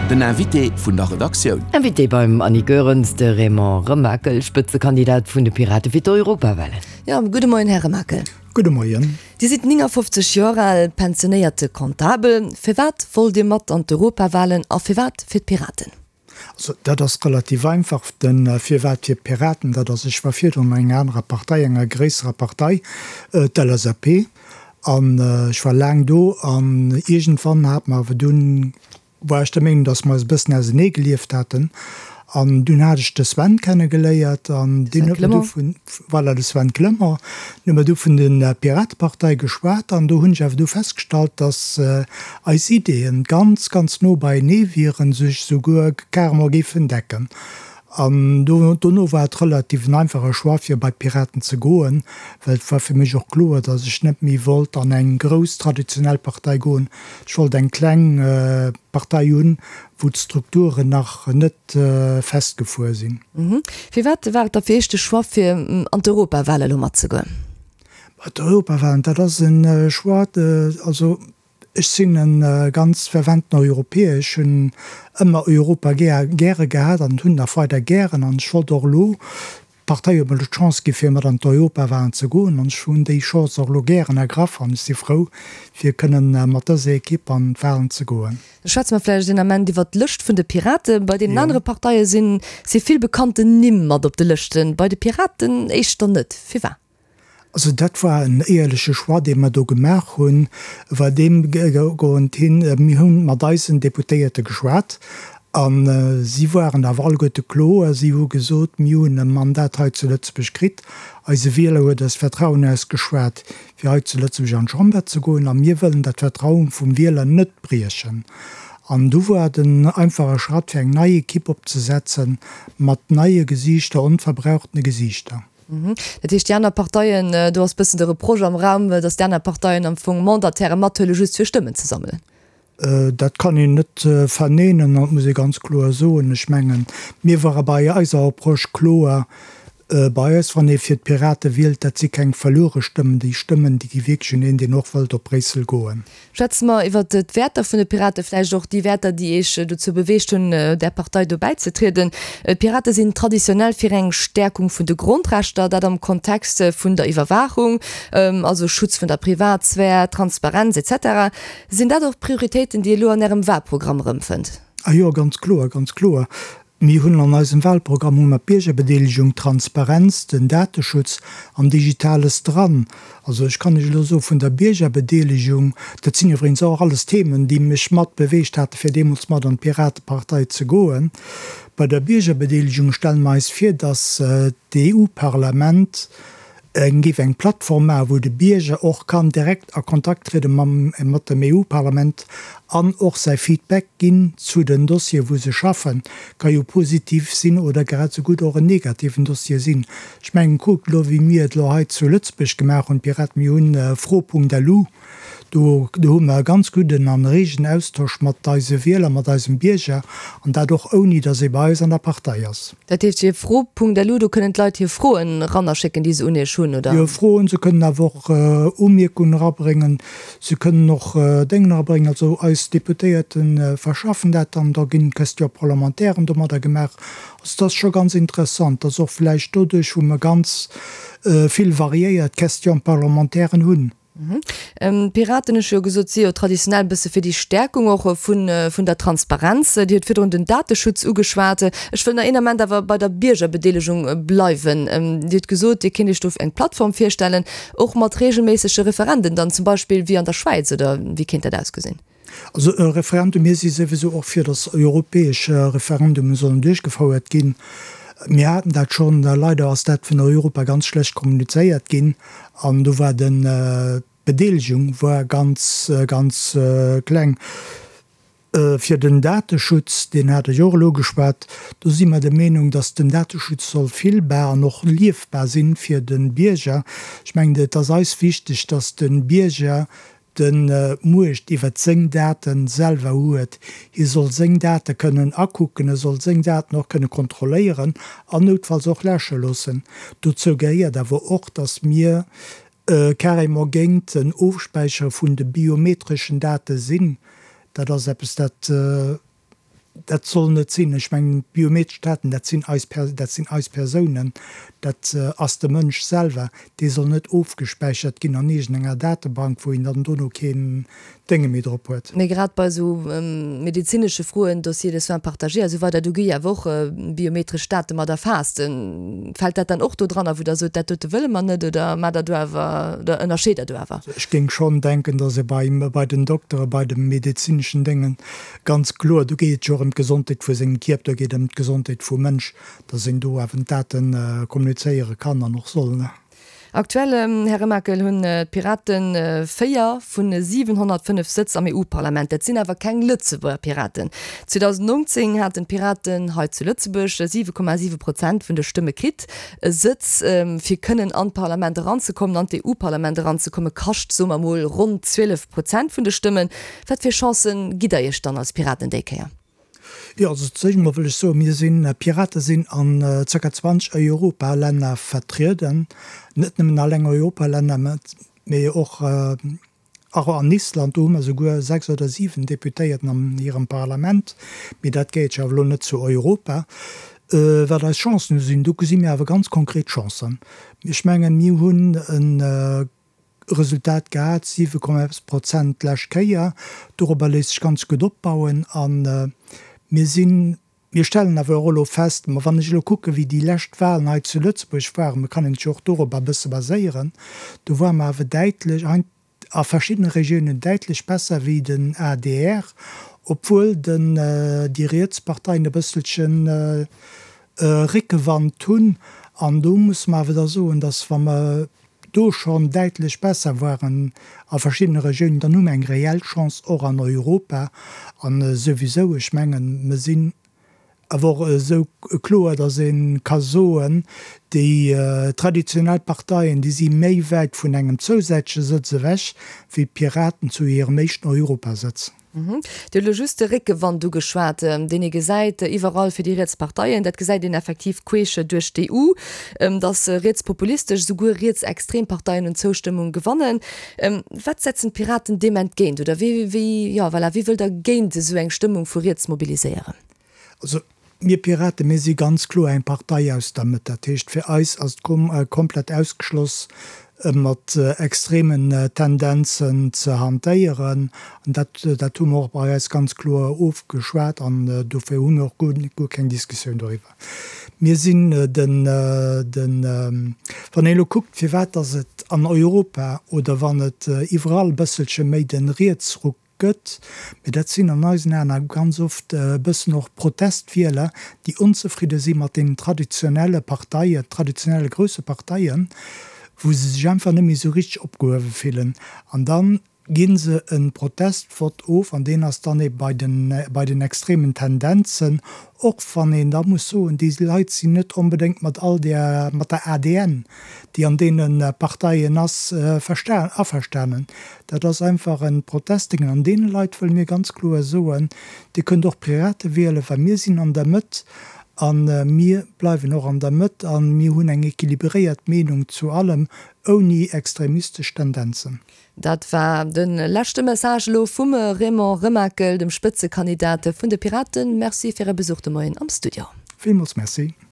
Den Invité vun der Redaktioun. Invité beim Annie Goerens, de Raymond Remakel, Spëtzekandidat vun de Pirate fir d'Europawalen. Jo, gudde Moien, Här Remakel. Gudde Moien. Dir sidd 59 Joer al, pensionéierte Comptabel. Firwat wollt Dir mat an d'Europawalen a firwat fir d'Piraten? Also dat ass relativ einfach, de Firwat fir d'Piraten, dat ass, ech war virdrun an enger anerer Partei, enger gréisserer Partei, d'LSAP, an ech war laang do an iergendwann hat mer awer dunn, war ech der Meenung, datt mer eis e bëssen ausenee gelieft haten an dunn hat ech de Sven kenne geléiert an deen huet mer du vun, voilà, de Sven Clement, deen huet mer du vun der Piratepartei geschwat an do hunn ech awer du festgestallt, datt eis Ideeën ganz, ganz no beienee wieren, sech souguer carrement géifen decken. An dono war et relativ en einfache Choix, fir bei d'Piraten ze goen, well et war fir mech och kloer, datt ech net méi wollt an eng grouss traditionell Partei goen. Ech wollt eng kleng Partei hunn, wou d'Strukturen nach net festgefuer sinn. Firwat war et da fir Iech de Choix, fir an d'Europawale elo matzegoen? D'Europawalen, dat ass e Choix, also Ech sinn e ganz ferventen Europäer. Ech hunn ëmmer Europa gäre gehat an hunn nach weider gären. An ech wollt och elo, d'Partei huet mer elo d'Chance gi fir mat an d'Europawahlen ze goen an ech hunn déi Chance och elo gären ergraff an ech si frou fir kënnen mat dëser Ekipp an d'Wahlen ze goen. Da schwätze mer vläicht een Ament iwwert d'Lëscht vun de Piraten. Bei deenen anere Parteie sinn si vill bekannten Nimm mat op de Lëschten, bei de Piraten éischter net. Firwat? Also dat war en éierleche Choix, dee mer do gemaach hunn, war deem goend hin, mir hu mat eisen Deputéierte geschwat a si waren awer alleguerte kloer, si hu gesot, mir hunn e Mandat hei zu Lëtzebuerg kritt, eise Wieler huet eis Vertrauen ausgeschwat, fir hei zu Lëtzebuerg an d'Chamber ze goen a mir wëllen dat Vertrauen vum Wieler net briechen. An du war et en einfache Schratt, fir eng nei Ekipp opzesetzen, mat neie Gesiichter, onverbrauchtene Gesiichter. Dat heescht, déi aner Parteien, do ass bëssen de Reproche am Raum, datt déi aner Parteien am Fong Mandataire mathuelen, just fir Stëmmen ze sammelen. Dat kann een net verneenen an dat muss ee ganz kloer soen. Ech mengen, mir ware bei eiser Approche kloer, bei eis, wann ee fir d'Pirate wielt, dat si keng verluere Stëmmen, déi Stëmmen, déi gi wierklech un een, deen och wëllt op Bréissel goen. Schwätze mer iwwert d'Wäerter vun de Piraten, vläicht och déi Wäerter, déi Iech dozou beweegt hunn, där Partei do bäizetrieden. D'Pirate sinn traditionell fir eng Stäerkung vun de Grondrechter, dat am Kontext vun der Iwwerwaachung, also Schutz vun der Privatsphär, Transparenz etc. Sinn dat och Prioritéiten, déi Dir elo an Ärem Wahlprogramm erëmfënnt? A jo, ganz kloer, ganz kloer. Mir hunn an eisem Wahlprogramm hu mer d'Biergerbedeelegung, d'Transparenz, den Dateschutz an Digitales dran. Also ech kann Iech elo soe vun der Biergerbedeelegung, dat sinn iwwregens och alles Themen, déi mech mat beweegt hate fir deemools mat an d'Piratepartei ze goen. Bei der Biergerbedeelegung stelle mer eis vir, datt d'EU-Parlament eng géif eng Plattform maachen, wou de Bierger och kann direkt a Kontakt triede mam mat dem EU-Parlament an och säi Feedback ginn zu den Dossieren, wou se schaffen. Ka jo positiv sinn oder grad esou gutt och en negativen Dossier sinn. Ech mengen, kuckt elo, wéi mir et elo hei zu Lëtzebuerg gemaach hunn, d'Piraten, mir hunn fro.lu, Do hu mer e ganz gudden an regen Austosch mat eise Wieler, mat eisem Bierger, an dat och ouni datt ee bei eis an der Partei ass. Dat heescht, fir fro.lu, do kënnen d'Leit hir Froen erannerschécken, déi se un Iech hunn, oder? Jo, Froen, se kënnen awer och Umierkungen erabréngen, se kënnen och Déngen erabréngen. Also eis Deputéierte verschaffen dat dann, da ginn Question-parlementairen domadder gemaach. Also dat ass scho ganz interessant, dass och vläicht doduerch, wou mer ganz vill variéiert Question-parlementairen hunn, D'Piraten, ech hu jo gesot, si jo traditionell e bësse fir déi Stäerkung och vun der Transparenz. Dir hutt virdrun den Dateschutz ugeschwat. Ech wëll nach een Ament awer bei der Biergerbedeelegung bleiwen. Dir hutt gesot, Dir kéint Iech do eng Plattform virstellen, och mat reegelméissege Referenden dann, zum Beispill wéi an der Schwäiz, oder wéi kéint dat ausgesinn? Also e Referendum, mir si souwisou och fir, datt europäesch Referendume sollen duerchgefouert ginn. Mir haten dat schonn, leider ass dat vun Europa ganz schlecht kommunizéiert ginn an do war den, d'Bedeelegung war ganz, ganz kleng. Fir den Dateschutz, deen hat ech och elo ugeschwat, do si mer der Meenung, datt den Dateschutz soll fillbar an och liefbar sinn fir de Bierger. Ech mengen, et ass eis wichteg, datt de Bierger d'Muecht iwwert seng Date selwer huet. Hie soll seng Date kënnen akucken, e soll seng Daten och kënne kontrolléieren an noutfalls och läsche loossen. Dozou gehéiert awer och, datt mir carrément géint den Ofspäichere vun de biometreschen Date sinn. Dat ass eppes, dat. Dat soll net sinn. Ech mengen, d'biometresch Daten, dat sinn eis, dat sinn eis Persounen, dat ass de Mënsch selwer, dee soll net ofgespäichert ginn an iergendenger Datebank, wou een dann dono keen Dénge méi drop huet. Mee grad bei esou medezinesche Froen, Dossier de soins partagé a sou weider, do gi jo awer och biometresch Date mat erfaasst. Fält dat dann och do dranner, wou Der sot, dat dote wëlle mer net, oder maacht Der do awer, oder ënnerscheet Der do awer? Ech géing schonn denken, datt ee bei den Doktere, bei de medezineschen Déngen Ganz kloer, do geet et jo och ëm d'Gesondheet vu sengem Kierp, do geet et ëm d'Gesondheet vum Mënsch, dass een do awer d'Date kommunizéiere kann an och soll. Aktuell, Här Remakel, hunn d'Piraten 4 vu 705 Sëtz am EU-Parlament. Dat sinn awer keng Lëtzebuerger Piraten. 2019 haten d'Piraten hei zu Lëtzebuerg 7,7 Prozent vun de Stëmme kritt. E Sëtz, fir kënnen an d'Parlament eranzekommen, an d'EU-Parlament eranzekommen, kascht, soe mer mol, ronn 12 Prozent vun de Stëmmen. Wat fir Chancen gitt der Iech dann als Piraten déi Kéier? Jo, also zéicht emol wëll ech soen, mir sinn, d'Pirate sinn an zirka 20 Europalänner vertrieden, net nëmmen alleng Europalänner, mee och och an Island, do hu mer souguer 6 oder 7 Deputéierten an hirem Parlament, mee dat gehéiert jo awer elo net zu Europa. Wat eis Chancen sinn, do gesi mir awer ganz konkret Chancen. Ech mengen, mir hunn e Resultat gehat, 7 Komma eppes Prozent d'lescht Kéier. Dorobber léisst sech ganz gutt opbauen. A mir sinn, mir stellen awer och elo fest, ma wann ech elo kucken, wéi déi lescht Wahlen hei zu Lëtzebuerg waren, mir kann een sech jo och dorobber e bësse baséieren, do ware mer awer däitlech, a verschiddene Regiounen däitlech besser wéi den adr, obwuel den, déi riets Parteien e bësselchen Réckewand hunn. An do musse mer awer da soen, dass wa mer do schonn däitlech besser waren a verschiddene Regiounen, dann hu mer eng reell Chance och an Europa. A souwisou, ech mengen, mer sinn awer och esou kloer, datt ee ka soen, déi traditionell Parteien, déi si méi wäit vun engem zousätzleche Sëtz ewech wéi d'Piraten zu hirem éischten Europasëtz. Dir hutt elo just de Réckewand ugeschwat, deen ee gesäit iwwerall fir déi riets Parteien. Dat gesäit een effektiv queesch duerch d'EU, datt rietspopulistesch, esouguer rietsextrem Parteien un Zoustëmmung gewannen. Wat setzen d'Piraten deem entgéint? Oder wéi, wéi, jo voilà, wéi wëllt Der géint esou eng Stëmmung vu riets mobiliséieren? Also mir Piraten, mir si ganz kloer eng Partei aus der Mëtt. Dat heescht, fir eis ass et komplett ausgeschloss, mat extremen Tendenzen ze hantéieren. An dat, dat hu mer och bei eis ganz kloer ofgeschwat an dofir hu mir och guer keng Diskussioun doriwwer. Mir sinn den, den, wann een elo kuckt, firwat datt et an Europa oder wann et iwwerall e bësselche méi de Rietsruck gëtt, mee dat sinn an eisen Aen awer ganz oft e bëssen och Protestwieler, déi onzefridde si mat deenen traditionelle Parteien, traditionelle grousse Parteien, wou se sech einfach net méi esou richteg opgehuewe fillen. An da gi se e Protestvott of an deen ass dann ebe bei den, bei den extremen Tendenzen, och wann een da muss soen, déi Leit sinn net onbedéngt mat all där, mat der ADN, déi an deene Parteien ass, averstanen. Dat ass einfach e Protestdéngen. An deene Leit wëlle mir ganz kloer soen, Dir kënnt och d'Pirate wielen, well mir sinn an der Mëtt a mir bleiwen och an der Mëtt a mir hunn eng équilibréiert Meenung zu allem, ouni extremistesch Tendenzen. Dat war de leschte Message elo vum Raymond Remakel, dem Spëtzekandidat vun de Piraten. Merci fir Är Besuch de Moien am Studio. Villmools Merci.